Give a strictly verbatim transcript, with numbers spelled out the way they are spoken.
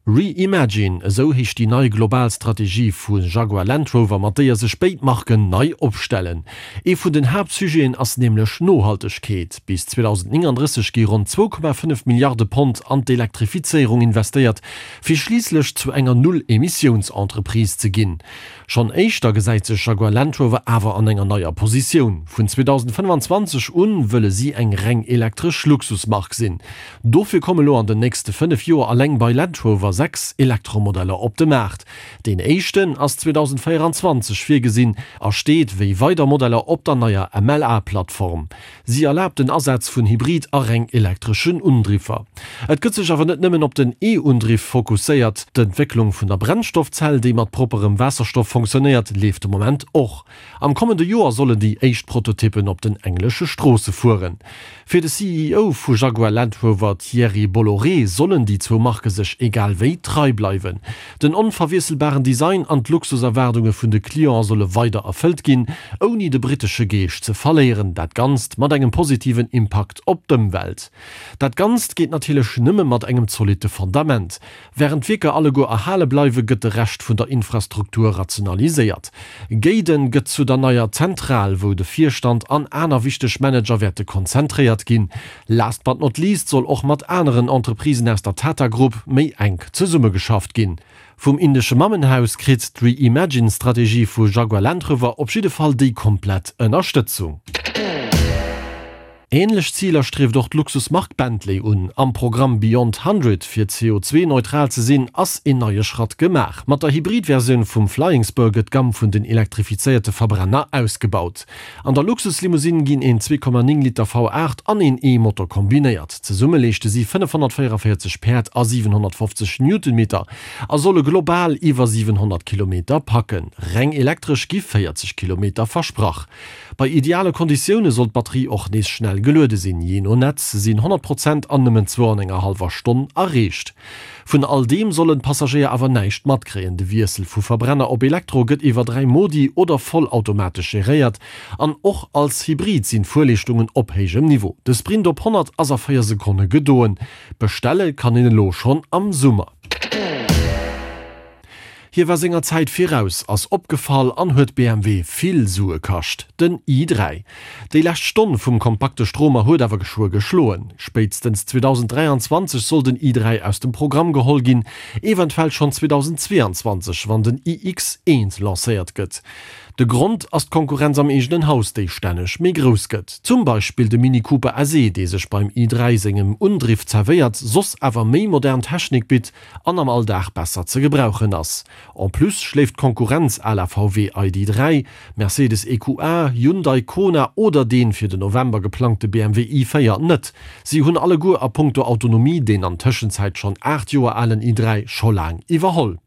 Reimagine, esou heescht déi nei global Strategie vu Jaguar Land Rover, mat déier sech béid Marken nei opstellen. Ee vun den Haaptsujeten ass nämlech Nohaltegkeet. Bis zweedausendnénganddrësseg gi ronn zwou Komma fënnef Milliarde Pond an d'Elektrifizéierung investéiert, fir schliisslech zu enger Null-Emissiouns-Entreprise ze ginn. Schonn éischter gesäit sech Jaguar Land Rover awer an enger neier Positioun. Vun zweedausendfënnefanzwanzeg un wëlle si eng reng elektresch Luxusmark sinn. Dofir komme lo an den nächste fënnef Joer alleng bei Land Rover sechs Elektromodeller op de Maart. Deen éischten ass zweedausendvéieranzwanzeg virgesinn a steet wéi weider Modeller op der neier M L A Plattform. Si erlaabt den Asaz vun Hybrid a reng elektreschen Undriffer. Et gëtt sech awer net nëmmen op den E-Undriff fokusséiert. D'Entwécklung vun der Brennstoffzell, déi mat propperem Waasserstoff fonctionnéiert, leeft de Moment och. Am kommende Joer sollen déi éischt Prototyppen op den englesche Stroosse fueren. Fir de C E O vu Jaguar Land Rover Thierry Bolloré sollen déi zwou Marke sech egal wéi trei bleiwen. Den onverwiesselbaren Design an d'Luxuserwaardunge vun de Cliente solle weider erfëllt ginn, ouni de brittesche Geescht ze verléieren. Dat Ganzt mat engem positiven Impakt op d'Ëmwelt. Dat Ganzt geet natierlech nëmme mat engem zolitte Fundament. Wärend d'Wierker alleguer erhale bleiwen, gëtt de Rescht vun der Infrastruktur rationaliséiert. Gaydon gëtt zu der neier Zentral, wou de Virstand an aner wichteg Manager wäerte konzentréiert ginn. Last but not least soll och mat aneren Entreprisen aus der Tata Group méi enk zesummegeschafft ginn. Vum indesche Mammenhaus kritt d'Reimagine-Strategie vu Jaguar Land Rover op jidde Fall déi komplett Ënnerstëtzung. Ähnlech Ziler strieft och d'Luxusmark Bentley un. Am Programm Beyond Hundred fir C O zwei neutral ze sinn, ass een neie Schratt gemaach. Mat der Hybrid-Versioun vum Flying Spur gëtt d'Gamm vun den elektrifizéierte Verbrenner ausgebaut. An der Luxuslimousine ginn een zwee Komma néng Liter V aacht an een E-Motor kombinéiert. Zesumme leeschte si fënnefhonnertvéieranvéierzeg Päerd a siwenhonnertfofzeg Newtonmeter a solle global iwwer siwenhonnert Kilometer packen. Reng elektresch gi véierzeg Kilometer versprach. Bei ideale Konditioune soll d'Batterie och nees schnell geluede sinn, jee no Netz sinn honnert Prozent an nëmmen zwou an enger hallwer Stonn erreecht. Vun all deem sollen d'Passagéier awer näischt matkréien, de Wiessel vu Verbrenner op Elektro gëtt iwwer dräi Modi oder vollautomatesch geréiert an och als Hybrid sinn d'Fuerleeschtungen op héijem Niveau. De Sprint op honnert ass a véier Sekonne gedoen. Bestelle kann een elo schonn am Summer. Hie war senger Zäit viraus, ass opgefall an huet B M W vill Sue kascht, den i dräi. Déi lescht Stonn vum kompakte Stromer huet awer geschwë geschloen. Spéitstens zweedausendräianzwanzeg soll den i dräi aus dem Programm geholl ginn, eventuell schonn zweedausendzweeanzwanzeg, wann den I X eent lancéiert gëtt. De Grond ass d'Konkurrenz am eegenen Haus, déi stänneg méi grouss gëtt. Zum Beispill de Mini Cooper S E, dee sech beim i dräi sengem Undriff zerwéiert, soss awer méi modern Technik bitt an am Alldag besser ze gebrauchen ass. En plus schléift d'Konkurrenz à la V W I D dräi, Mercedes E Q A, Hyundai Kona oder dee fir den November geplangte B M W i véier net. Si hunn alleguer a punkto Autonomie deen an Tëschenzäit schonn aacht Joer alen i dräi scho laang iwwerholl.